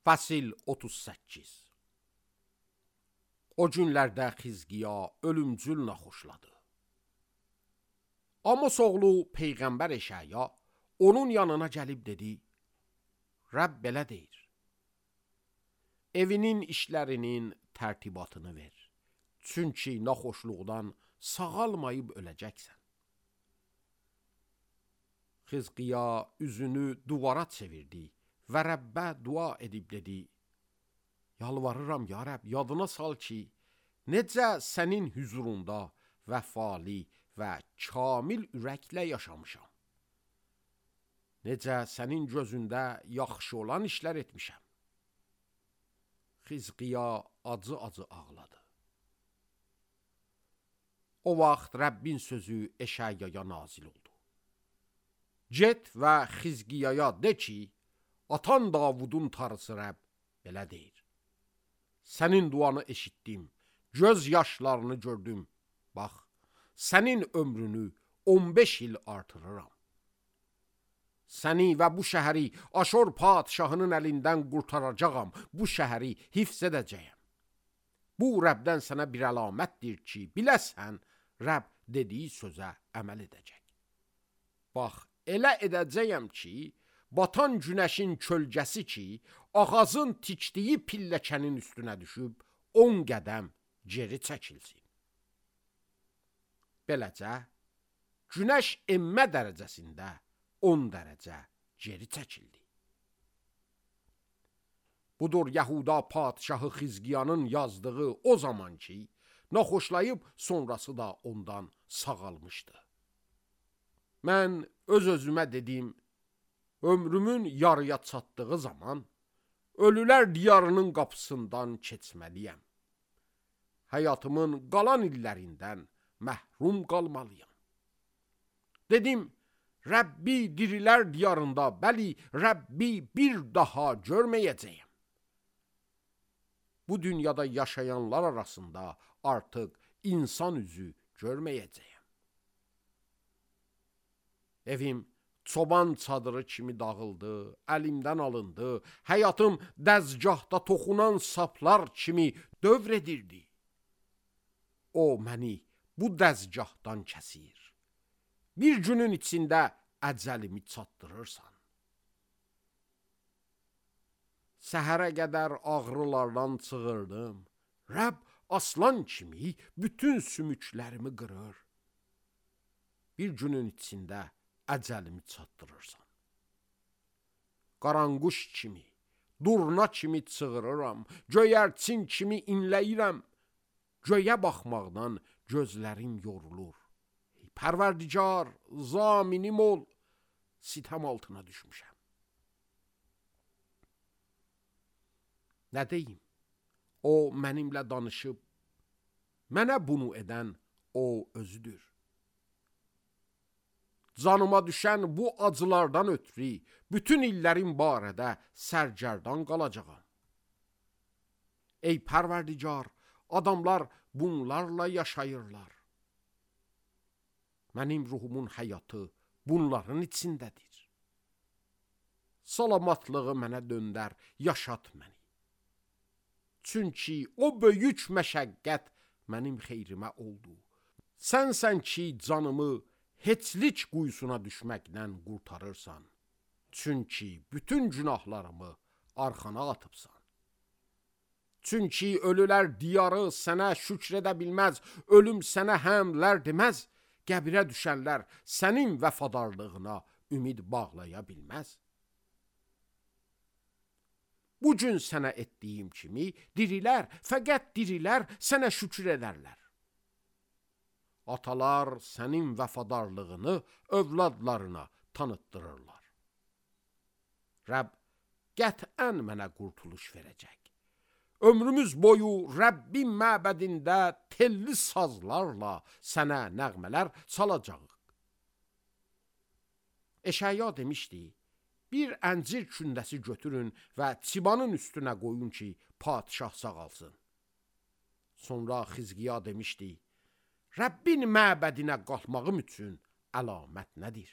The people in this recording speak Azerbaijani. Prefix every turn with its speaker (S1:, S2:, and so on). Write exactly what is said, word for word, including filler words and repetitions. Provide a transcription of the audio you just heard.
S1: Fəsil otuz səkkiz. O günlərdə Xizqiya ölümcül naxoşladı. Amos oğlu Peyğəmbər Eşaya onun yanına gəlib dedi: Rəbb belə deyir: evinin işlərinin tərtibatını ver. Çünki naxoşluqdan sağalmayıb öləcəksən. Xizqiya üzünü duvara çevirdi və Rəbbə dua edib dedi: Yalvarıram ya Rəbb, yadına sal ki, necə sənin hüzurunda vəfalı və kamil ürəklə yaşamışam. Necə sənin gözündə yaxşı olan işlər etmişəm. Xizqiya acı-acı ağladı. O vaxt Rəbbin sözü Eşayaya nazil oldu. Get və Xizqiyaya de ki, atan Davudun tarısı Rəbb belə deyir: Sənin duanı eşitdim, göz yaşlarını gördüm. Bax, sənin ömrünü on beş il artırıram. Səni və bu şəhəri Aşur padşahının əlindən qurtaracağam, bu şəhəri hifz edəcəyəm. Bu Rəbdən sənə bir əlamətdir ki, biləsən, Rəbb dediyi sözə əməl edəcək. Bax, elə edəcəyəm ki, batan günəşin kölgəsi ki, ağacın tikdiyi pilləkənin üstünə düşüb, on qədəm geri çəkilsin. Beləcə, günəş enmə dərəcəsində on dərəcə geri çəkildi. Budur Yahuda padşahı Xizqiyanın yazdığı o zaman ki, naxoşlayıb sonrası da ondan sağalmışdı. Mən öz-özümə dedim, ömrümün yarıya çatdığı zaman ölülər diyarının qapısından keçməliyəm. Həyatımın qalan illərindən məhrum qalmalıyam. Dedim, Rəbbi dirilər diyarında, bəli, Rəbbi bir daha görməyəcəyəm. Bu dünyada yaşayanlar arasında artıq insan üzü görməyəcəyəm. Evim çoban çadırı kimi dağıldı, əlimdən alındı, həyatım dəzgahda toxunan saplar kimi dövr edirdi. O məni bu dəzgahdan kəsir. Bir günün içində əcəlimi çatdırırsan. Səhərə qədər ağrılardan çığırdım. Rəbb aslan kimi bütün sümüklərimi qırır. Bir günün içində əcəlimi çatdırırsan. Qaranquş kimi, durna kimi çığırıram, göyərçin kimi inləyirəm. Göyə baxmaqdan gözlərim yorulur. Pərverdigar, zaminim ol, sitəm altına düşmüşəm. Nə deyim? O mənimlə danışıb, mənə bunu edən o özüdür. Canıma düşən bu acılardan ötürü bütün illərin barədə sərgərdan qalacağam. Ey Pərverdigar, adamlar bunlarla yaşayırlar. Mənim ruhumun həyatı bunların içindədir. Salamatlığı mənə döndər, yaşat məni. Çünki o böyük məşəqqət mənim xeyrimə oldu. Sənsən ki, canımı heçlik quyusuna düşməkdən qurtarırsan. Çünki bütün günahlarımı arxana atıbsan. Çünki ölülər diyarı sənə şükr edə bilməz, ölüm sənə həmlər deməz, qəbirə düşənlər sənin vəfadarlığına ümid bağlaya bilməz. Bugün sənə etdiyim kimi dirilər, fəqət dirilər sənə şükür edərlər. Atalar sənin vəfadarlığını övladlarına tanıtdırırlar. Rəbb qətən mənə qurtuluş verəcək. Ömrümüz boyu Rəbbin məbədində telli sazlarla sənə nəğmələr çalacağıq. Eşaya demişdi, bir əncir kündəsi götürün və çibanın üstünə qoyun ki, padşah sağalsın. Sonra Xizqiya demişdi, Rəbbin məbədinə qalxmağım üçün əlamət nədir?